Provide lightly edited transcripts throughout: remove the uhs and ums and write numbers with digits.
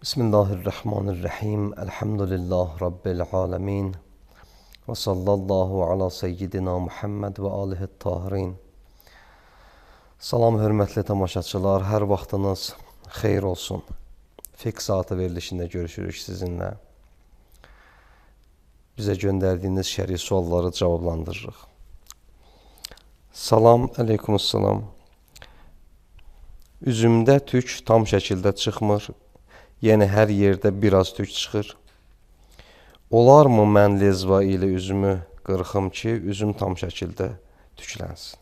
Bismillahirrahmanirrahim. Elhamdülillah Rabbil alemin. Və sallallahu ala seyyidina Muhammed və alihi tahirin. Salam, hörmətli tamaşaçılar. Hər vaxtınız xeyir olsun. Fiqh saatı verilişində görüşürük sizinlə. Bizə göndərdiyiniz şəri sualları cavablandırırıq. Salam, əleykumussalam. Üzümdə tük tam şəkildə çıxmır. Yəni hər yerdə biraz tük çıxır. Olarmı mən lezva ilə üzümü qırxım ki, üzüm tam şəkildə tüklənsin?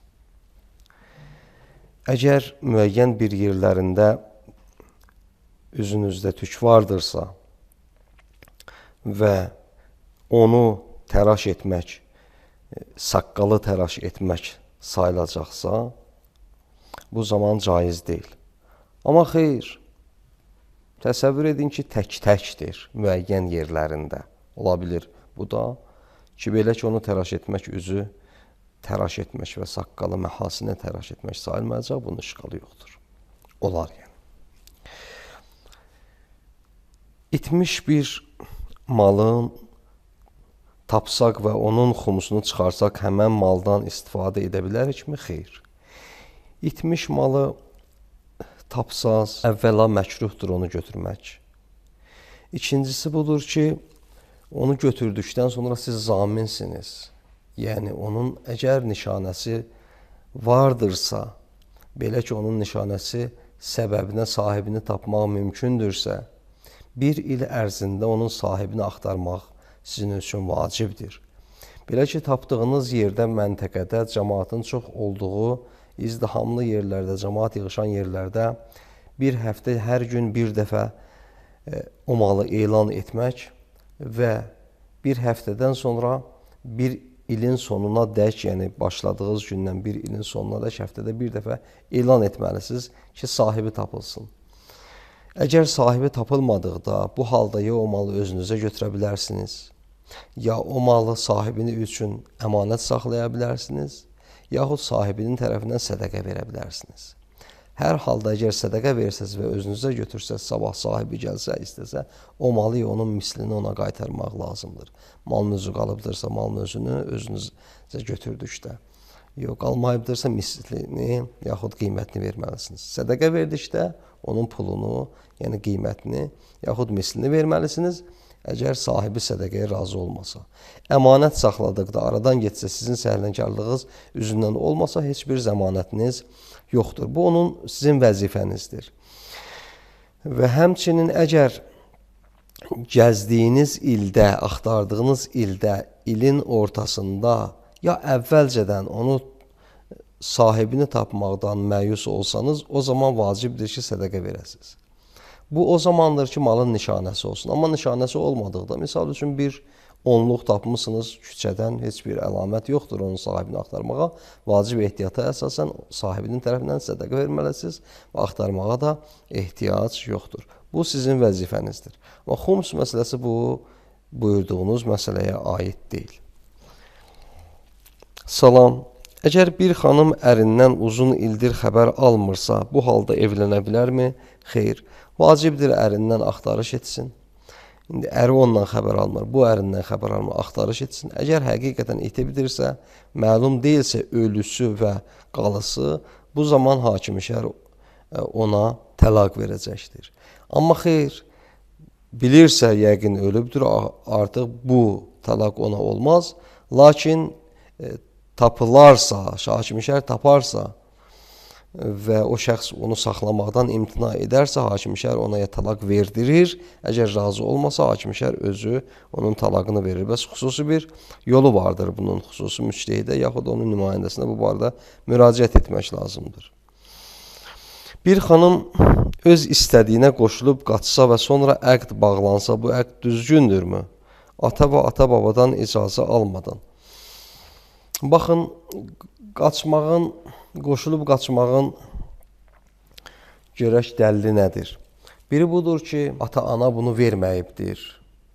Əgər müəyyən bir yerlərində üzünüzdə tük vardırsa və onu təraş etmək, saqqalı təraş etmək sayılacaqsa, bu zaman caiz deyil. Amma xeyr, təsəvvür edin ki, tək-təkdir müəyyən yerlərində. Ola bilir bu da ki, belə ki, onu təraş etmək, üzü təraş etmək və saqqalı məhasinə təraş etmək sayılmayacaq, bunun işğalı yoxdur. Olar yəni. İtmiş bir malın tapsaq və onun xumusunu çıxarsaq, həmən maldan istifadə edə bilərikmi? Xeyr. İtmiş malı tapsaz, əvvəla məkruhdur onu götürmək. İkincisi budur ki, onu götürdükdən sonra siz zaminsiniz. Yəni, onun əgər nişanəsi vardırsa, belə ki, onun nişanəsi səbəbinə sahibini tapmaq mümkündürsə, bir il ərzində onun sahibini axtarmaq sizin üçün vacibdir. Belə ki, tapdığınız yerdə, məntəqədə cəmaatın çox olduğu, izdihamlı yerlərdə, cəmaat yığışan yerlərdə bir həftə, hər gün bir dəfə o malı elan etmək və bir həftədən sonra bir ilin sonuna dək, yəni başladığınız gündən bir ilin sonuna dək həftədə bir dəfə elan etməlisiniz ki, sahibi tapılsın. Əgər sahibi tapılmadıqda, bu halda ya o malı özünüzə götürə bilərsiniz, ya o malı sahibini üçün əmanət saxlaya bilərsiniz, yaxud sahibinin tərəfindən sədəqə verə bilərsiniz. Hər halda əgər sədəqə versəz və özünüzə götürsəz, sabah sahibi gəlsə, istəsə, o malı onun mislini ona qaytarmaq lazımdır. Malın özü qalıbdırsa, malın özünü özünüzə götürdükdə. Yox, qalmayıbdırsa mislini, yaxud qiymətini verməlisiniz. Sədəqə verdikdə onun pulunu, yəni qiymətini, yaxud mislini verməlisiniz. Əgər sahibi sədəqəyə razı olmasa, əmanət saxladıqda aradan getsə, sizin səhlənkarlığınız üzündən olmasa, heç bir zəmanətiniz yoxdur. Bu, onun sizin vəzifənizdir. Və həmçinin əgər gəzdiyiniz ildə, axtardığınız ildə, ilin ortasında, ya əvvəlcədən onu sahibini tapmaqdan məyus olsanız, o zaman vacibdir ki, sədəqə verəsiniz. Bu, o zamandır ki, malın nişanəsi olsun. Amma nişanəsi olmadıqda, misal üçün bir onluq tapmışsınız küçədən, heç bir əlamət yoxdur onun sahibini axtarmağa. Vacib ehtiyata əsasən sahibinin tərəfindən sədəqə verməlisiniz və axtarmağa da ehtiyac yoxdur. Bu, sizin vəzifənizdir. Amma xums məsələsi bu, buyurduğunuz məsələyə aid deyil. Salam. Əgər bir xanım ərindən uzun ildir xəbər almırsa, bu halda evlənə bilərmi? Xeyr. Vacibdir ərindən axtarış etsin. İndi əri ondan xəbər almır, bu ərindən xəbər almır, axtarış etsin. Əgər həqiqətən itibildirsə, məlum deyilsə ölüsü və qalısı, bu zaman hakim-i şər ona təlaq verəcəkdir. Amma xeyr, bilirsə yəqin ölübdür, artıq bu təlaq ona olmaz. Lakin tapılarsa, hakim-i şər taparsa və o şəxs onu saxlamaqdan imtina edərsə, hakim-i şər ona ya təlaq verdirir. Əgər razı olmasa, hakim-i şər özü onun təlaqını verir. Bəs xüsusi bir yolu vardır bunun, xüsusi müçtehidə, yaxud onun nümayəndəsinə bu barədə müraciət etmək lazımdır. Bir xanım öz istədiyinə qoşulub qaçsa və sonra əqd bağlansa, bu əqd düzgündürmü? Ata və ata-babadan icazə almadan. Baxın, qoşulub qaçmağın görək dəlili nədir? Biri budur ki, ata-ana bunu verməyibdir,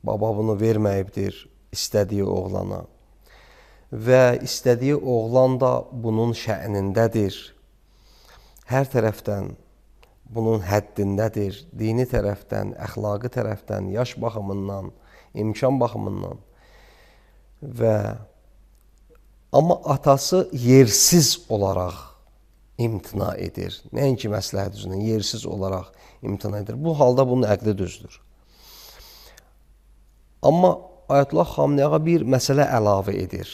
baba bunu verməyibdir istədiyi oğlana və istədiyi oğlan da bunun şə'nindədir. Hər tərəfdən bunun həddindədir, dini tərəfdən, əxlaqi tərəfdən, yaş baxımından, imkan baxımından amma atası yersiz olaraq imtina edir. Nəinki məsləhət üzrə, yersiz olaraq imtina edir. Bu halda bunun əqli düzdür. Amma Ayətullah Xameneyə bir məsələ əlavə edir.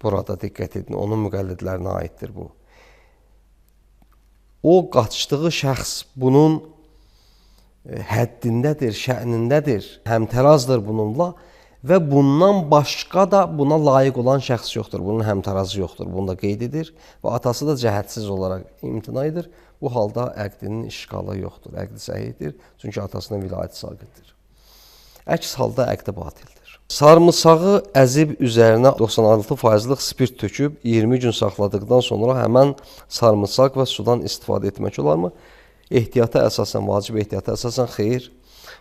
Burada diqqət edin, onun müqəllidlərinə aiddir bu. O qaçdığı şəxs bunun həddindədir, şə'nindədir, həmtərazdır bununla və bundan başqa da buna layiq olan şəxs yoxdur. Bunun həmtarazı yoxdur. Bunu da qeyd edir və atası da cəhədsiz olaraq imtina edir. Bu halda əqdinin işğalı yoxdur. Əqdi səhihdir. Çünki atasına vilayət saqitdir. Əks halda əqdi batildir. Sarımsağı əzib üzərinə 96%-lıq spirt töküb 20 gün saxladıqdan sonra həmən sarımsaq və sudan istifadə etmək olarmı? Ehtiyata əsasən, vacib ehtiyata əsasən xeyr.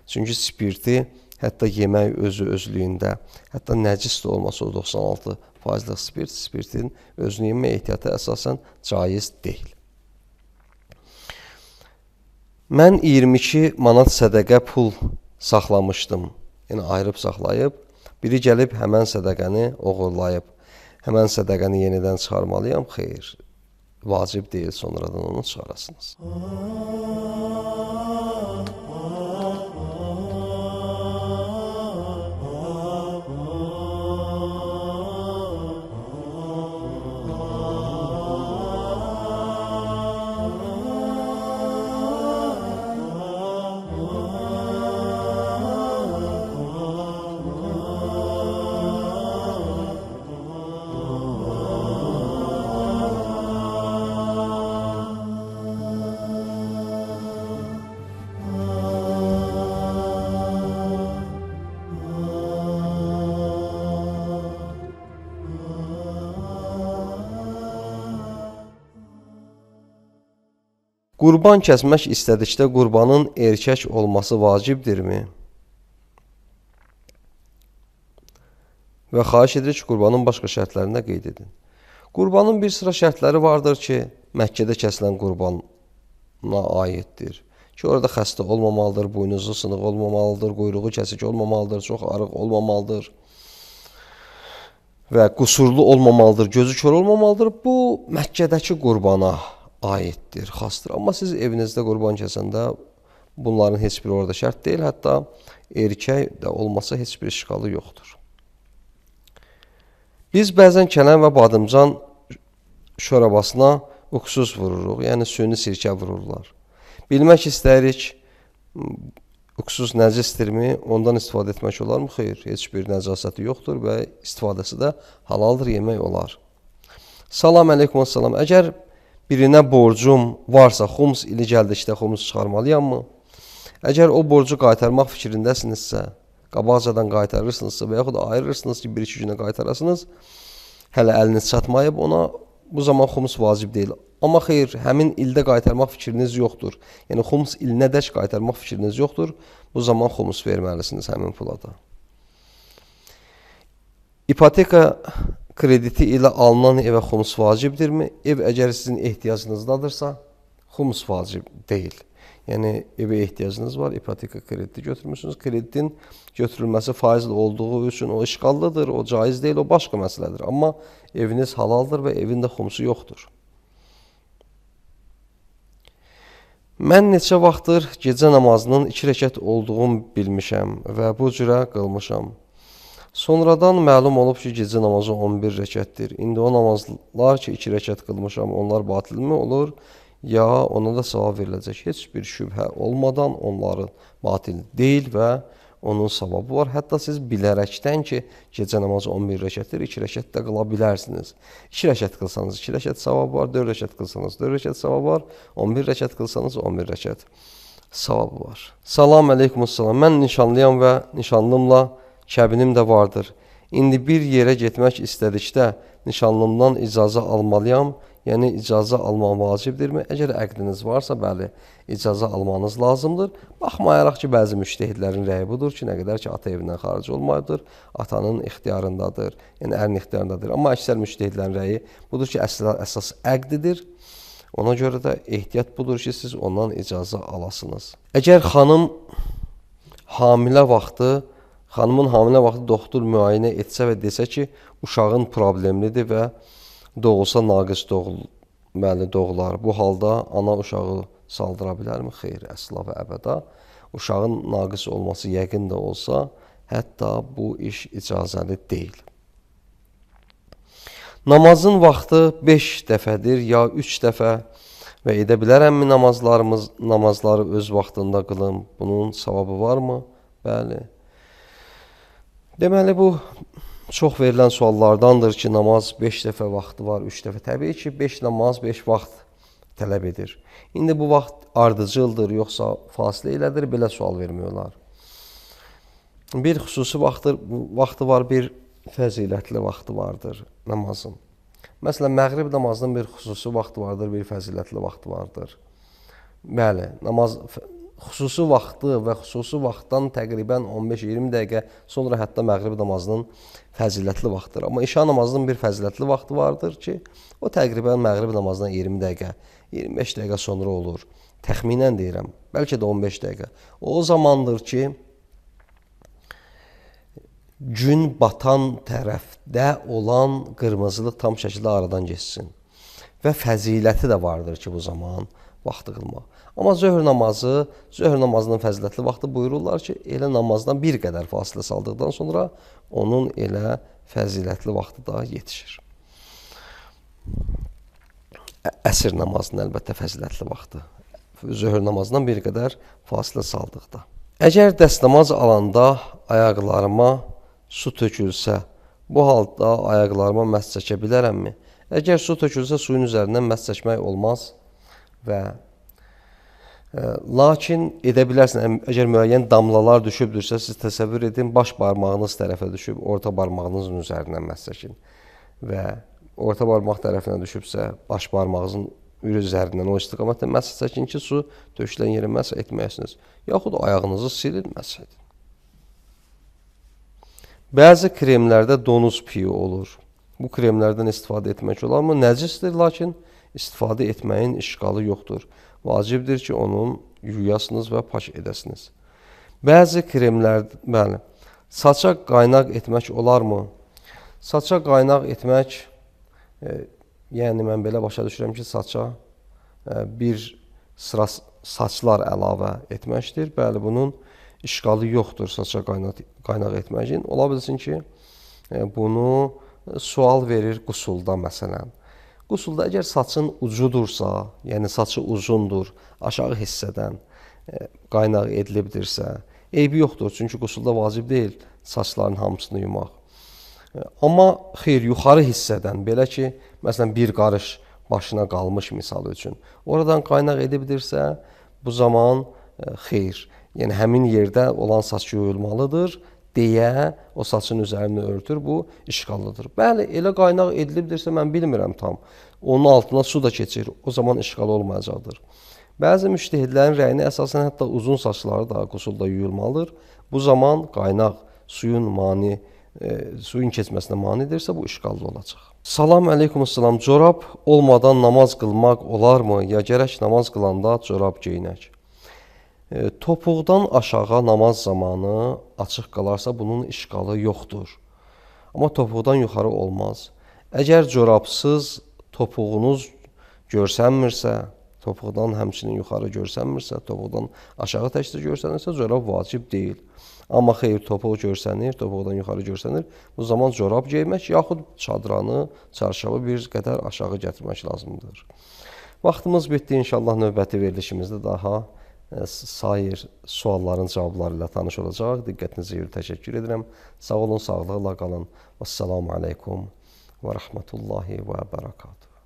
Çünki spirti hətta yemək özlüyündə, hətta nəcis də olmasa o 96%-lıq spirtin özünü yemək ehtiyata əsasən caiz deyil. Mən 22 manat sədəqə pul saxlamışdım. Yəni ayırıb saxlayıb, biri gəlib həmən sədəqəni oğurlayıb, həmən sədəqəni yenidən çıxarmalıyam. Xeyr, vacib deyil, sonradan onu çıxarasınız. Qurban kəsmək istədikdə qurbanın erkək olması vacibdirmi? Və xahiş edirik ki, qurbanın başqa şərtlərində qeyd edin. Qurbanın bir sıra şərtləri vardır ki, Məkkədə kəsilən qurbana aiddir. Ki, orada xəstə olmamalıdır, boynuzu sınıq olmamalıdır, quyruğu kəsik olmamalıdır, çox arıq olmamalıdır və qusurlu olmamalıdır, gözü kör olmamalıdır. Bu, Məkkədəki qurbana aiddir, xasdır. Amma siz evinizdə qurban kəsəndə bunların heç biri orada şərt deyil. Hətta erkək də olmasa heç bir işğalı yoxdur. Biz bəzən kələm və badımcan şorabasına uqsuz vururuq, yəni süni sirkə vururlar. Bilmək istəyirik, uqsuz nəcisdirmi, ondan istifadə etmək olarmı? Xeyr, heç bir nəcasəti yoxdur və istifadəsi də halaldır, yemək olar. Salam əleykum, salam. Əgər birinə borcum varsa, xums ili gəldikdə xums çıxarmalıyam mı? Əgər o borcu qaytarmaq fikrindəsinizsə, qabaqcadan qaytarırsınızsa və yaxud da ayırırsınız ki, 1-2 günə qaytarasınız, hələ əliniz çatmayıb ona, bu zaman xums vacib deyil. Amma xeyr, həmin ildə qaytarmaq fikriniz yoxdur. Yəni, xums ilinədək qaytarmaq fikriniz yoxdur, bu zaman xums verməlisiniz həmin pula da. İpoteka krediti ilə alınan evə xums vacibdirmi? Ev əgər sizin ehtiyacınızdadırsa, xums vacib deyil. Yəni, evə ehtiyacınız var, ipoteka krediti götürmüşsünüz. Kreditin götürülməsi faizli olduğu üçün o işğallıdır, o caiz deyil, o başqa məsələdir. Amma eviniz halaldır və evində xumsu yoxdur. Mən neçə vaxtdır gecə namazının 2 rəkət olduğunu bilmişəm və bu cürə qılmışam. Sonradan məlum olub ki, gecə namazı 11 rəkətdir. İndi o namazlar ki, 2 rəkət qılmışam, onlar batilmi olur, ya ona da savab veriləcək. Heç bir şübhə olmadan onların batil deyil və onun savabı var. Hətta siz bilərəkdən ki, gecə namazı 11 rəkətdir, 2 rəkət də qıla bilərsiniz. 2 rəkət qılsanız 2 rəkət savab var, 4 rəkət qılsanız 4 rəkət savab var, 11 rəkət qılsanız 11 rəkət savabı var. Salam əleykum, salam. Mən nişanlıyam və nişanlımla kəbinim də vardır. İndi bir yerə getmək istədikdə nişanlımdan icazə almalıyam, yəni icazə almaq vacibdirmi? Əgər əqdiniz varsa, bəli, icazə almanız lazımdır. Baxmayaraq ki, bəzi müştəhidlərin rəyi budur ki, nə qədər ki, ata evindən xaric olmayıbdır, atanın ixtiyarındadır, yəni ərin ixtiyarındadır. Amma əksər müştəhidlərin rəyi budur ki, əsas əqdidir. Ona görə də ehtiyat budur ki, siz ondan icazə alasınız. Əgər xanımın hamilə vaxtı doktor müayinə etsə və desə ki, uşağın problemlidir və doğulsa naqis doğular. Bu halda ana uşağı saldıra bilərmi? Xeyr, əsla və əbəda. Uşağın naqis olması yəqin də olsa, hətta bu iş icazəli deyil. Namazın vaxtı 5 dəfədir ya 3 dəfə və edə bilərəmmi namazları öz vaxtında qılım? Bunun savabı varmı? Bəli. Deməli, bu çox verilən suallardandır ki, namaz 5 dəfə vaxtı var, 3 dəfə. Təbii ki, 5 namaz 5 vaxt tələb edir. İndi bu vaxt ardıcıldır, yoxsa fasilə ilədir, belə sual vermiyorlar. Bir xüsusi vaxtı var, bir fəzilətli vaxtı vardır namazın. Məsələn, məğrib namazının bir xüsusi vaxtı vardır, bir fəzilətli vaxtı vardır. Bəli, namaz xüsusi vaxtı və xüsusi vaxtdan təqribən 15-20 dəqiqə sonra hətta məğrib namazının fəzilətli vaxtıdır. Amma işa namazının bir fəzilətli vaxtı vardır ki, o təqribən məğrib namazından 20 dəqiqə, 25 dəqiqə sonra olur. Təxminən deyirəm, bəlkə də 15 dəqiqə. O zamandır ki, gün batan tərəfdə olan qırmızılıq tam şəkildə aradan geçsin. Və fəziləti də vardır ki, bu zaman vaxtı qılmaq. Amma zöhr namazının fəzilətli vaxtı buyururlar ki, elə namazdan bir qədər fasilə saldıqdan sonra onun elə fəzilətli vaxtı da yetişir. Əsr namazının əlbəttə fəzilətli vaxtı. Zöhr namazından bir qədər fasilə saldıqda. Əgər dəstəmaz alanda ayaqlarıma su tökülsə, bu halda ayaqlarıma məs çəkə bilərəmmi? Əgər su tökülsə, suyun üzərindən məs çəkmək olmaz və lakin edə bilərsin, əgər müəyyən damlalar düşübdürsə, siz təsəvvür edin, baş barmağınız tərəfə düşüb, orta barmağınızın üzərindən məs çəkin və orta barmaq tərəfinə düşübsə, baş barmağınızın üzərindən o istiqamətlə məs çəkin ki, su tökülən yerə məs etməyəsiniz. Yaxud ayağınızı silin, məs edin. Bəzi kremlərdə donuz piyi olur. Bu kremlərdən istifadə etmək olarmı? Nəcisdir, lakin istifadə etməyin işğalı yoxdur. Vacibdir ki, onun yuyasınız və pak edəsiniz. Bəzi kremlər, bəli, saça qaynaq etmək olarmı? Saça qaynaq etmək, yəni mən belə başa düşürəm ki, saça bir sıra saçlar əlavə etməkdir. Bəli, bunun işğalı yoxdur saça qaynaq etməyin. Ola bilsin ki, bunu sual verir qusulda məsələn. Qusulda əgər saçın ucudursa, yəni saçı uzundur, aşağı hissədən qaynaq edilibdirsə, eybi yoxdur. Çünki qusulda vacib deyil saçların hamısını yumaq. Amma xeyr, yuxarı hissədən, belə ki, məsələn, bir qarış başına qalmış misal üçün, oradan qaynaq edibdirsə, bu zaman xeyr, yəni həmin yerdə olan saç yuyulmalıdır deyə o saçın üzərini örtür, bu işğallıdır. Bəli, elə qaynaq edilibdirsə, mən bilmirəm tam. Onun altına su da keçir, o zaman işğal olmayacaqdır. Bəzi müştəhidlərin rəyinə əsasən hətta uzun saçları da qusulda yuyulmalıdır. Bu zaman qaynaq suyun keçməsinə manidirsə, bu işğallı olacaq. Salam əleykum, salam. Corab olmadan namaz qılmaq olarmı? Ya gərək namaz qılanda corab geyinək? Topuqdan aşağı namaz zamanı açıq qalarsa, bunun işğalı yoxdur. Amma topuqdan yuxarı olmaz. Əgər corabsız topuğunuz görsənmirsə, topuqdan həmçinin yuxarı görsənmirsə, topuqdan aşağı təkcə görsənirsə, corab vacib deyil. Amma xeyr, topuq görsənir, topuqdan yuxarı görsənir. Bu zaman corab geymək, yaxud çadranı, çarşabı bir qədər aşağı gətirmək lazımdır. Vaxtımız bitdi. İnşallah növbəti verilişimizdə daha sair sualların cavabları ilə tanış olacaq. Diqqətinizə görə təşəkkür edirəm. Sağ olun, sağlıqla qalın. Vəssalamu aleykum və rəhmətullahi və bərəkatuhu.